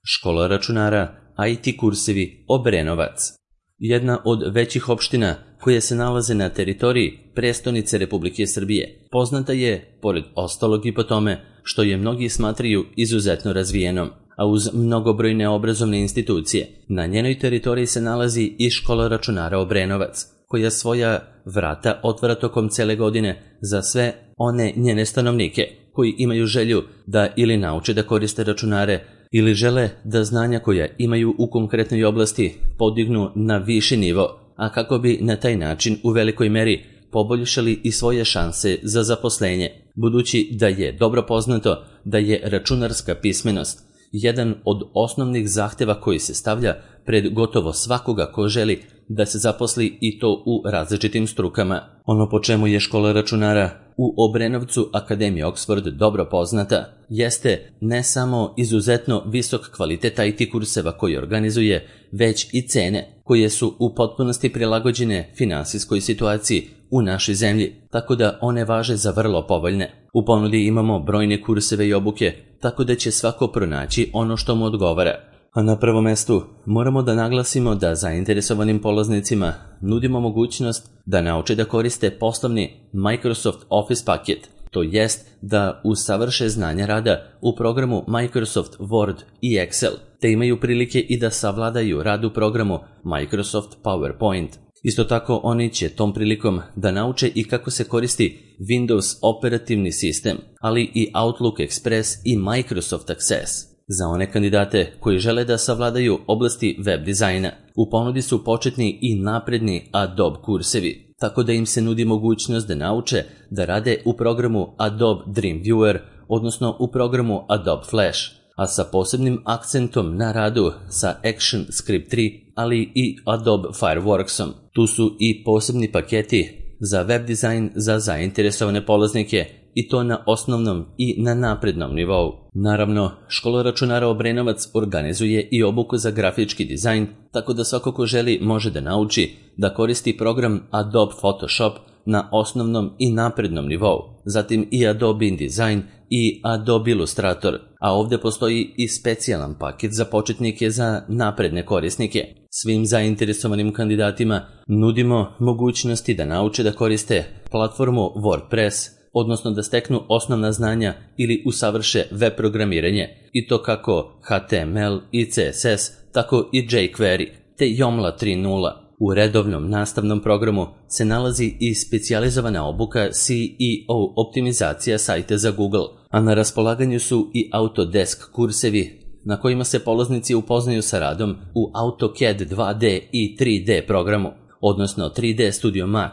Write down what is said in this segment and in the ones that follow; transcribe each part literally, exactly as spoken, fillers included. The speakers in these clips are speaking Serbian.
Škola računara I T kursevi Obrenovac. Jedna od većih opština koje se nalaze na teritoriji prestonice Republike Srbije. Poznata je, pored ostalog, i po tome što je mnogi smatraju izuzetno razvijenom, a uz mnogobrojne obrazovne institucije. Na njenoj teritoriji se nalazi i škola računara Obrenovac, koja svoja vrata otvara tokom cele godine za sve one njene stanovnike koji imaju želju da ili nauče da koriste računare ili žele da znanja koja imaju u konkretnoj oblasti podignu na viši nivo, a kako bi na taj način u velikoj meri poboljšali i svoje šanse za zaposlenje, budući da je dobro poznato da je računarska pismenost jedan od osnovnih zahteva koji se stavlja pred gotovo svakoga ko želi da se zaposli, i to u različitim strukama. Ono po čemu je škola računara u Obrenovcu Akademija Oxford dobro poznata jeste ne samo izuzetno visok kvalitet I T kurseva koji organizuje, već i cene koje su u potpunosti prilagođene finansijskoj situaciji u našoj zemlji, tako da one važe za vrlo povoljne. U ponudi imamo brojne kurseve i obuke, tako da će svako pronaći ono što mu odgovara. A na prvom mestu moramo da naglasimo da zainteresovanim polaznicima nudimo mogućnost da nauče da koriste poslovni Microsoft Office paket, to jest da usavrše znanja rada u programu Microsoft Word i Excel, te imaju prilike i da savladaju rad u programu Microsoft PowerPoint. Isto tako oni će tom prilikom da nauče i kako se koristi Windows operativni sistem, ali i Outlook Express i Microsoft Access. Za one kandidate koji žele da savladaju oblasti web dizajna, u ponudi su početni i napredni Adobe kursevi, tako da im se nudi mogućnost da nauče da rade u programu Adobe Dreamweaver, odnosno u programu Adobe Flash, a sa posebnim akcentom na radu sa ActionScript tri, ali i Adobe Fireworksom. Tu su i posebni paketi za web dizajn za zainteresovane polaznike, i to na osnovnom i na naprednom nivou. Naravno, škola računara Obrenovac organizuje i obuku za grafički dizajn, tako da svako ko želi može da nauči da koristi program Adobe Photoshop na osnovnom i naprednom nivou, zatim i Adobe InDesign i Adobe Illustrator, a ovdje postoji i specijalan paket za početnike za napredne korisnike. Svim zainteresovanim kandidatima nudimo mogućnosti da nauče da koriste platformu WordPress, odnosno da steknu osnovna znanja ili usavrše web programiranje, i to kako H T M L i C S S, tako i jQuery, te Joomla tri nula. U redovnom nastavnom programu se nalazi i specijalizovana obuka C E O optimizacija sajta za Google, a na raspolaganju su i Autodesk kursevi na kojima se polaznici upoznaju sa radom u AutoCAD dva D i tri D programu, odnosno tri D Studio Max,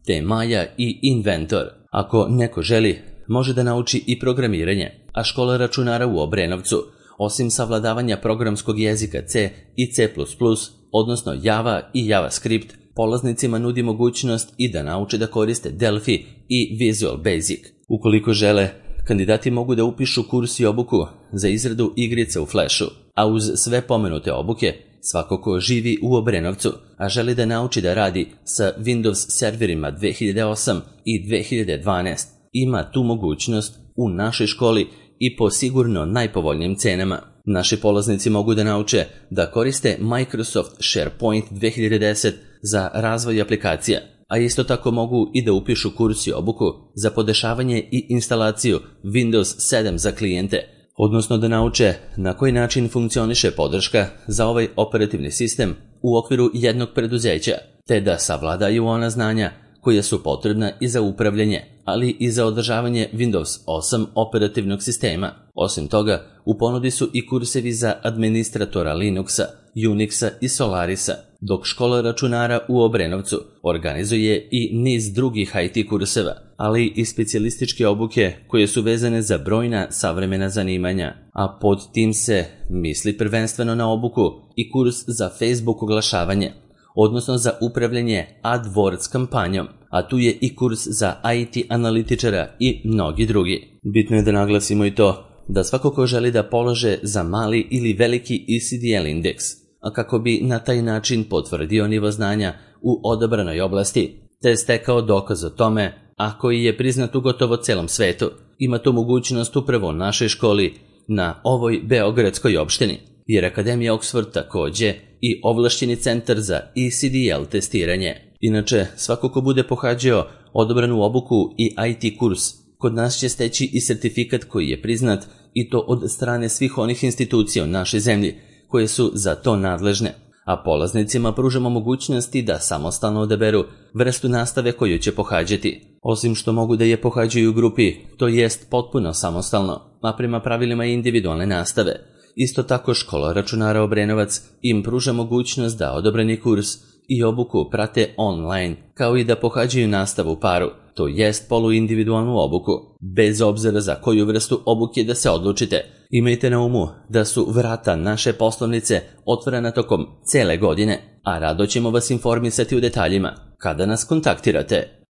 te Maya i Inventor. Ako neko želi, može da nauči i programiranje, a škola računara u Obrenovcu, osim savladavanja programskog jezika C i C plus plus, odnosno Java i JavaScript, polaznicima nudi mogućnost i da nauče da koriste Delphi i Visual Basic. Ukoliko žele, kandidati mogu da upišu kurs i obuku za izradu igrice u Flashu, a uz sve pomenute obuke, svako ko živi u Obrenovcu, a želi da nauči da radi sa Windows serverima dve hiljade osam i dve hiljade dvanaest, ima tu mogućnost u našoj školi i po sigurno najpovoljnijim cenama. Naši polaznici mogu da nauče da koriste Microsoft SharePoint dve hiljade deset za razvoj aplikacija, a isto tako mogu i da upišu kurs i obuku za podešavanje i instalaciju Windows sedam za klijente, odnosno da nauče na koji način funkcioniše podrška za ovaj operativni sistem u okviru jednog preduzeća, te da savladaju ona znanja koja su potrebna i za upravljanje, ali i za održavanje Windows osam operativnog sistema. Osim toga, u ponudi su i kursevi za administratora Linuxa, Unixa i Solarisa, dok škola računara u Obrenovcu organizuje i niz drugih I T kurseva, ali i specijalističke obuke koje su vezane za brojna savremena zanimanja, a pod tim se misli prvenstveno na obuku i kurs za Facebook oglašavanje, odnosno za upravljanje AdWords kampanjom, a tu je i kurs za I T analitičara i mnogi drugi. Bitno je da naglasimo i to da svako ko želi da polaže za mali ili veliki E C D L indeks, a kako bi na taj način potvrdio nivo znanja u odabranoj oblasti, te stekao dokaz o tome, a koji je priznat u gotovo celom svetu, ima tu mogućnost upravo u našoj školi na ovoj beogradskoj opštini. jer Akademija Oxford takođe i ovlašćeni centar za E C D L testiranje. Inače, svako ko bude pohađao odobranu obuku i I T kurs, kod nas će steći i sertifikat koji je priznat i to od strane svih onih institucija u našoj zemlji koje su za to nadležne, a polaznicima pružamo mogućnosti da samostalno odaberu vrstu nastave koju će pohađati, osim što mogu da je pohađaju u grupi, to jest potpuno samostalno, a prema pravilima individualne nastave. Isto tako škola računara Obrenovac im pruža mogućnost da odobreni kurs i obuku prate online, kao i da pohađaju nastavu u paru, to jest poluindividualnu obuku. Bez obzira za koju vrstu obuke da se odlučite, imajte na umu da su vrata naše poslovnice otvorena tokom cele godine, a rado ćemo vas informisati u detaljima kada nas kontaktirate.